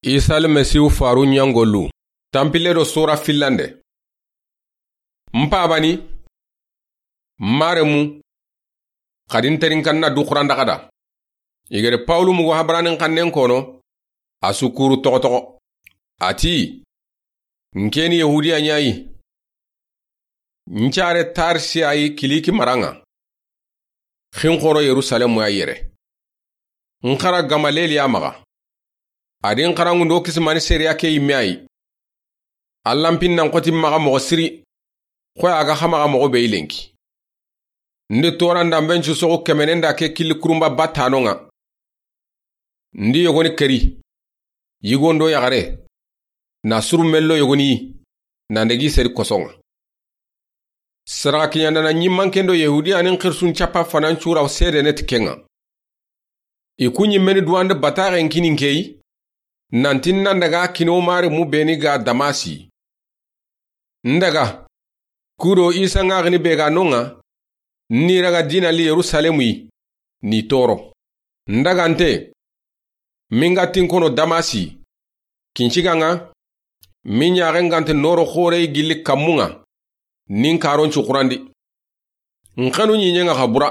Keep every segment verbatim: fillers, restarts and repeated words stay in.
Isa Almasihu faru ɲangolu. Tanpille do sora fillande. N pabani, n maremu, xadi n terinkanna du xuranda xada. I gere Pawulu mugu Habaranin xannen kono, a su kuru toxo toxo. A ti, n ke ni Yahudiya ɲa yi. N care Tarsi ya yi Kiliki mara ŋa. Xi n xoro Yerusalemu ya yere. N xara Gamaleli ya maxa. A di n xaranŋundo kisimani seriya ke yimme ya yi. Allanpin nan xoti maxa moxo siri. Xoy a ga xa maxa moxo be yi lenki. N di toran da n ben cu soxu kemenen da ke killi kurunba batano ŋa. N di yogoni keri, yigondo yaxare, na suru mello yogoni yi, na ndegi seri koso ŋa. Saraxa kiɲandana ɲimmanken do Yahudiyanin xirsun capa fanan cura sedene ti ke ŋa. I ku ɲimmeni duwande bataxen kini n ke yi, nanti n nan daga kini o maremu beni ga Damasi. N daga, kudo Isa ŋaxini be ga no ŋa, n ni raga dina li Yerusalemu yi, ni toro. N daga nte, mi n ga tin kono Damasi, kinciga ŋa, mi ɲaxe n ga nte noro xore yi gilli kammu ŋa, ni n karon cu xurandi. N xanu ɲiɲe ŋa xa bura.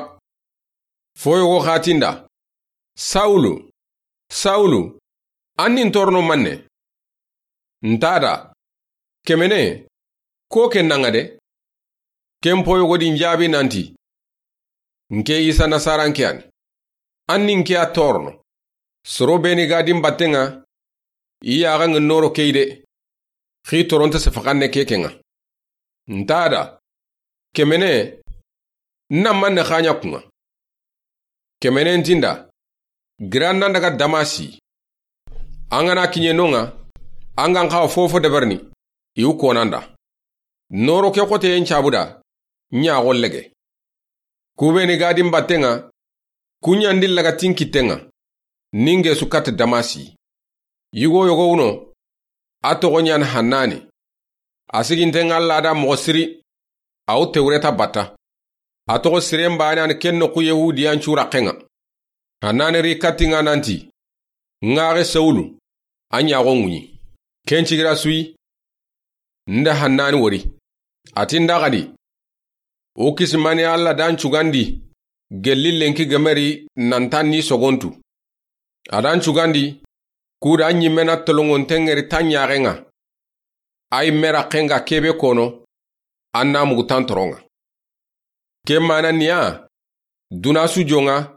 Fo yogo xa ti n da, Sawulu, Sawulu, an ni n torono manne? N ta da, kemene, ko ke na ŋa de. Ken po yogo di n jaabi nanti, n ke Isa Nasaranke ya ni. An ni n ke ya torono. Soro beni ga di n batte ŋa, i yaxa ŋa noro ke yi de. Xi toronte sefaxanne ke ke ŋa. N ta da, kemene, n na manne xa ɲa ku ŋa? Kemene n ti n da, gira n nan daga Damasi. An ga na kiɲe no ŋa, an ga n xawa fofo deberini, i wu konanda. Noro ke xoteyen cabu da, ɲaxo lege. Ku beni ga di n batte ŋa, ku ɲandi laga tin kitte ŋa, ni n gesu katti Damasi. Yigo yogo wuno, a toxo ɲani Hannani. A siginten ŋa Alla da moxo siri, a wu Tewreta batta. A toxo siren baane yani ken noxu Yahudiyan cu raxe ŋa. Hannani ri katti ŋa nanti, ŋaxe Sawulu, a ɲaxo ŋuɲi. Ken cigira su yi, n da Hannani wori. A ti n da xadi, o kisimani Alla da n cugandi, gelli lenki gemeri nan ta ni sogontu. A da n cugandi, ku da ɲimme na tolongonten ŋeri ta ɲaxe ŋa. A yi me raxe ŋa kebe kono, an na mugu tan toron ŋa. Ke mana niya, duna su jo ŋa,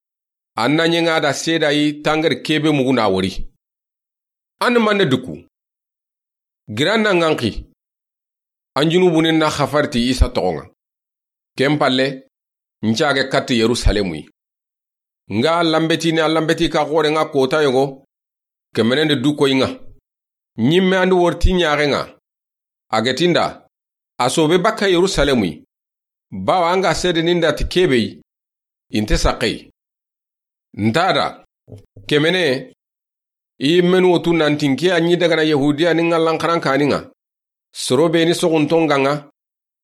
an na ɲe ŋa da seda yi tangeri kebe mugu na wori. An manne duku. Gira n na ŋanxi. An junubunin na xafari ti Isa toxo ŋa. Ken palle, n cage katti Yerusalemu yi. N ga lanbetini a lanbeti ka xore ŋa kota yogo, kemenen de du koyi ŋa. Ɲimme an di wori ti ɲaxe ŋa. A ga ti n da, a sobe bakka Yerusalemu yi. Bawa an ga sedenin da ti kebe yi, i nte saxe yi. N ta da, kemene, i yimmenu wo tu nanti n ke ya ɲi dagana Yahudiyanin ŋa lanxaran kani ŋa. Soro beni soxunton ga ŋa,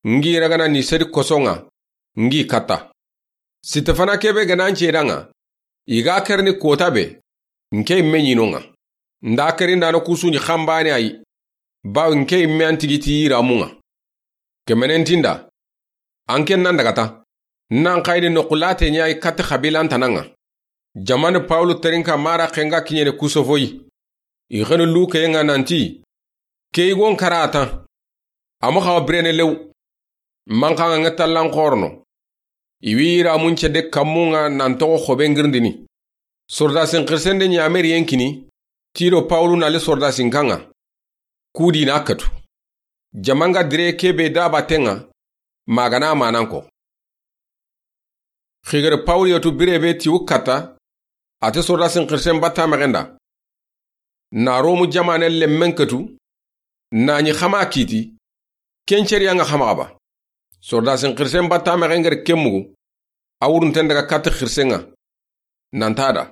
n gi ragana ni sedi koso ŋa, n gi katta. Sitefana kebe ga na n ceda ŋa, i ga kerini kota be, n ke yimme ɲi no ŋa. N da keri n da no kusu ɲi xanbane a yi, bawo n ke yimme an tigi ti yiramu ŋa. Kemenen ti n da, an ken nan daga ta, n nan xayini noxu late ɲa yi katti xabilan tana ŋa. Jamani Pawulu terinka mara xenga kiɲene kusofoyi. I xenu luke ŋa nanti, ke yigon kara a ta. A ma xawa birene lew. Manxa ŋa ŋa tallan xorono. I wi yiramun cede kammu ŋa nan toxo xobe ngirindini. Sordasin xirsende ɲameriyen kini, ti do Pawulu na li sordasin kan ŋa. Kudi na katu. Jamanga dire kebe da batten ŋa, magana manan ko. Xigere Pawulu yetu bire be ti wu katta, a te sordasin xirsen batta mexen da. Na Romu jamanen lemmen katu, na ɲi xama kiti, ken ceriya ŋa xama xaba. Sordasin xirsen batta mexen gere ken mugu, a wurunten daga katti xirsen ŋa. Nan ta da.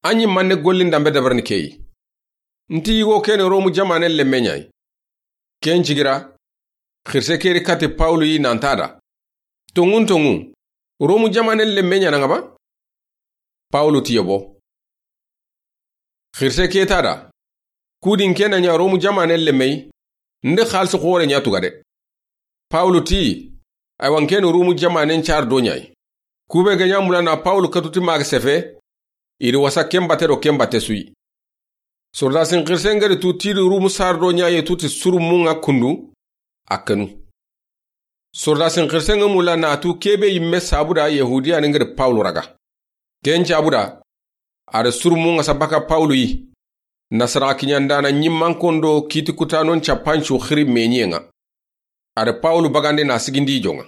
An ɲi manne gollin dambe dabarni ke yi. N ti yigo kene Romu jamanen lemme ɲa yi. Ken cigira, xirse keri katti Pawulu yi nan ta da. Tonŋun tonŋu, Romu jamanen lemme ɲa na ŋa ba? Pawulu ti yobo. Xirse ke ta da, Kudin ke na ɲa Romu jamaane lemme yi, ndi xaalisi xoore ɲa tuga de. Pawulu ti, aywa, n ke ni Romu jamaanen saari do ɲa yi. Kube ga ɲa mula na Pawulu katu ti maxa sefe, i ri wasa ken batte do ken batte su yi. Sordasin xirisen ga ri tu ti i ri Romu saari do ɲa yi, tu ti surumun ŋa kundu, a kanu. Sordasin xirisen ŋa mula na tu ke be yimme sabu da Yahudiyanin ga ri Pawulu raga. Ken sabu da, a ri surumun ŋa sa baka Pawulu yi. Nasara kiɲandaana ɲimmankondo kiiti kutanon cappancu xiri meɲiyen ŋa. A ri Pawulu bagandi na sigindi i jon ŋa.